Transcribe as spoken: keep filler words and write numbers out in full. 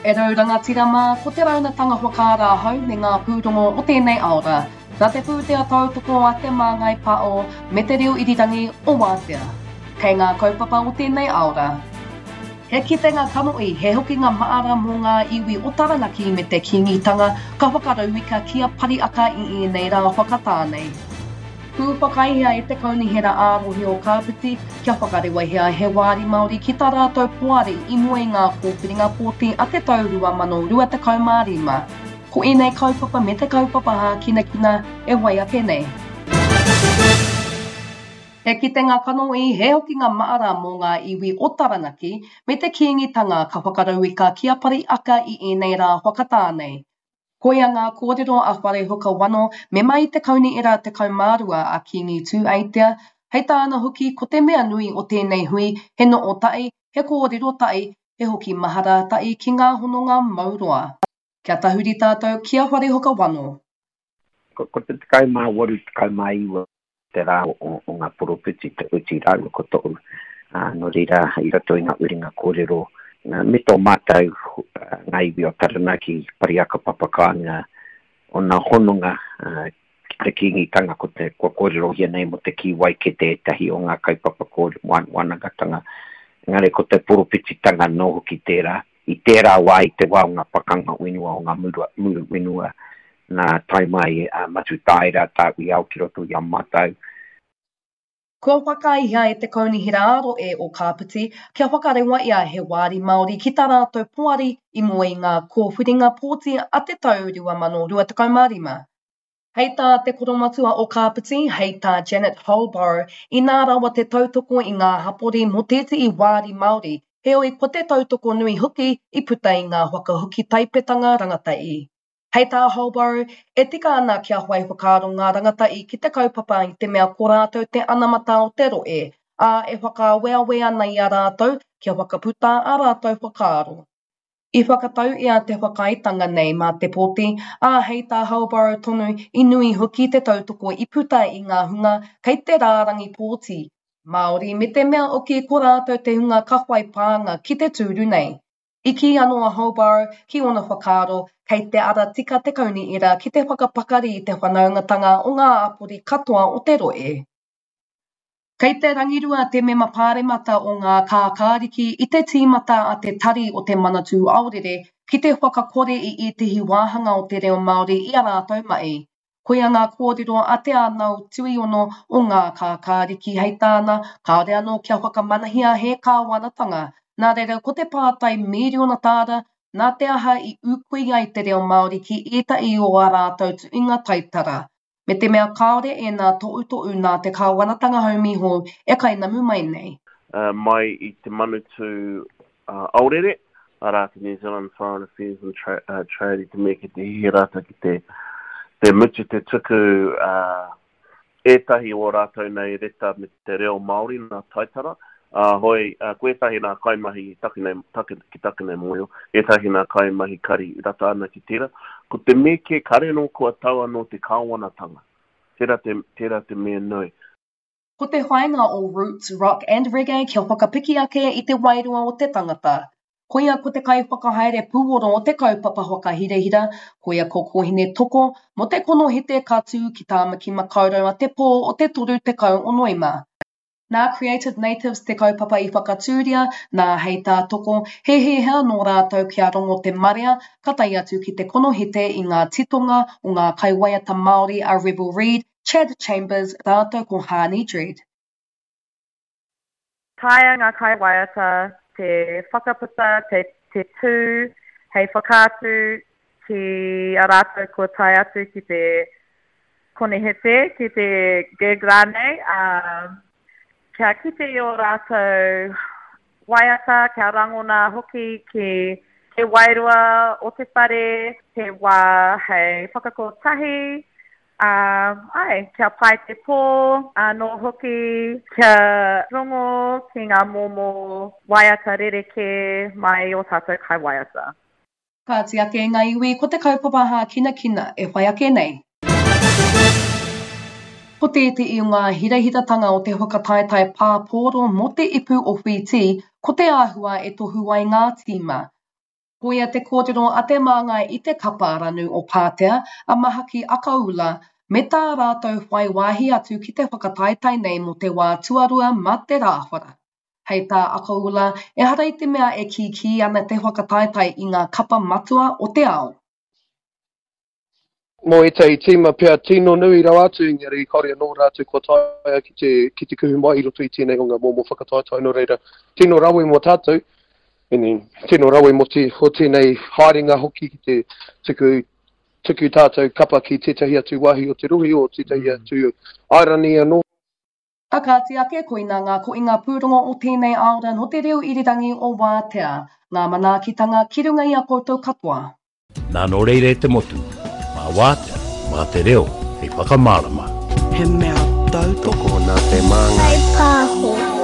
E rau rangatira mā, ko te raunatanga whakaara ahau me ngā pūrongo o tēnei aora. Nā te pūtea tautoko a Te Māngai Pāo me te reo irirangi o Wātea. Kei ngā kaupapa o tēnei aora. He kitenga kanohi, he hokinga maara mō ngā iwi o Taranaki me te Kīngitanga ka whakarauika ki a Pariaka i ēnei rā whakatā nei. Pūwhakaihia e te Kaunihera ā-Rohe o Kāpiti kia whakarewahia he wāri Māori ki tā rātou poari i mua i ngā kōwhiringa pōti a te tau rua mano rua tekau mā rima. Ko ēnei kaupapa me te kaupapa hākinakina e whai ake nei. He kitenga kanohi, he hokinga maara mō ngā iwi o Taranaki me te Kīngitanga ka whakarauika ki a Pariaka i ēnei rā whakatā nei. Koia ngā kōrero a Wharehuka Wano, mema i te Kaunihera tekau mā rua a Kīngi Tūeitea, hei tāna hoki ko te mea nui o tēnei hui he noho tahi, he kōrero tahi, he hoki mahara tahi ki ngā hononga mau roa. Kia tahuri tātou ki a Wharehuka Wano. Ko, ko te tekau mā waru, tekau mā iwa te rā o, o ngā poropiti, te uti rāua ko tohu. Uh, nō reira, i roto i ngā uringa kōrero, me tō mātou ngā iwi o Taranaki, Pariaka Papakāinga, ōna hononga ki te Kīngitanga, ko te, kua kōrerohia nei mō te kī waikete ētahi o ngā kaupapa kōrero, wānangatanga. Engari ko te poropititanga anō hoki tērā, i tērā wā i te wā o ngā pakanga whenua, o ngā muru, muru whenua, nā tae mai a Matutaera, Tāwhiao ki roto i a mātou. Kua whakaaehia e te Kaunihera ā-Rohe o Kāpiti kia whakarewaia he wāri Māori ki tā rātou poari i mua i ngā kōwhiringa pōti a te tau rua mano rua tekau mā rima. Hei tā te koromatua o Kāpiti, hei tā Janet Holborow, inā rawa te tautoko i ngā hapori mō tētehi wāri Māori, heoi ko te tautoko nui hoki i puta i ngā whakahoki taipetanga rangatahi. Hei tā Holborow, e tika ana kia whai whakaaro ngā rangatahi ki te kaupapa i te mea ko rātou te anamata o te rohe, ā, e whakaaweawe ana i a rātou kia whakaputa ā rātou whakaaro. I whakatauia te whakaaetanga nei mā te pōti, ā, hei tā Holborow tonu i nui hoki te tautoko i puta i ngā hunga kei te rārangi pōti Māori me te mea hoki ko rātou te hunga ka whai pānga ki te tūru nei. I kī anō a Holborow ki ōna whakaaro, kei te ara tika te kaunihera ki te whakapakari i te whanaungatanga o ngā hapori katoa o te rohe. Kei te rangirua te mema pāremata o ngā kākāriki i te tīmata a te Tari o te Manatū Aorere ki te whakakore i ētehi wāhanga o te reo Māori i a rātou mahi. Koia ngā kōrero a Te Ānau Tuiono o ngā kākāriki hei tāna, kāore anō kia whakamanahia he kāwanatanga. Nā reira ko te pātai mīriona tāra, nā te aha i ūkui ai te reo Māori ki ētahi o ā rātou tuhinga taitara. Me te mea kāore ēnā tohutohu nā te kāwanatanga haumi hou e kainamu mai nei. Mai i te Manutū Aorere, arā te New Zealand Foreign Affairs and Trade i te mea ki te hihi rātou ki te te mutu te tuku ētahi o rātou nei reta me te reo Māori nā taitara, ā, hoi, ko ētahi nā kaimahi taku nei, taku, ki taku nei mōhio, ētahi nā kaimahi kari rata ana ki tērā. Ko te mea kē, kare anō kua tau anō te kāwanatanga. Tērā te, tērā te mea nui. Ko te whāinga o Roots, Rock and Reggae kia whakapiki ake i te wairua o te tangata. Koia ko te kaiwhakahaere pūoro o te kaupapa whakahirahira, koia ko Kōhine Toko, mō te konohete ka tū ki Tāmaki Makaurau a te pō o te toru tekau o Noema. Nā Creative Natives te kaupapa i whakatūria, nā hei tā Toko, he hiahia nō rātou kia rongo te marea, ka tae atu ki te konohete i ngā titonga o ngā kaiwaiata Māori a Rebel Reid, Chad Chambers rātou ko Harney Dread. Taea ngā kaiwaiata te whakaputa, te, te tū hei whakaatu ki a rātou kua tae atu ki te konihete, ki te gig rānei, ā, kia kite i ō rātou waiata, kia rangona hoki ki te wairua o te whare, he wā hei whakakotahi, ā, āe, kia pai te pō anō hoki, kia rongo ki ngā momo waiata rerekē mai i ō tātou kaiwaiata. Kāti ake ngā iwi ko te kaupapa hākinakina e whai ake nei. Ko tētehi o ngā hirahiratanga o te whakataetae pāpōro mō te ipu o Whītī, ko te āhua e tohu ai ngā tīma. Koia te kōrero a te māngai i te kapa ranu o Pātea, a Mahaki Akaula, me tā rātou whai wāhi atu ki te whakataetae nei mō te wā tuarua mā te Rāwhara. Hei tā Akaula, ehara i te mea e kīkī ana te whakataetae i ngā kapa matua o te ao. Mō ētahi tīma pea tino nui rawa atu, engari kāore anō rātou kua taea ki te, ki te kuhu mai i roto i tēnei o ngā momo whakataetae, nō reira, tino rawe mō tātou, and tino rawe mō te, o tēnei haerenga hoki ki te tuku, tuku tātou kapa ki tētahi atu wāhi o te rohe, o tētahi atu airani anō. A kāti ake, koinā ngā koinga pūrongo o tēnei aora nō te reo irirangi o Wātea, ngā manaakitanga ki runga i a koutou katoa. Nā nō reira e te motu, mā Wātea, mā te reo, hei whakamārama. He mea tautoko nā te māngai. Pāho.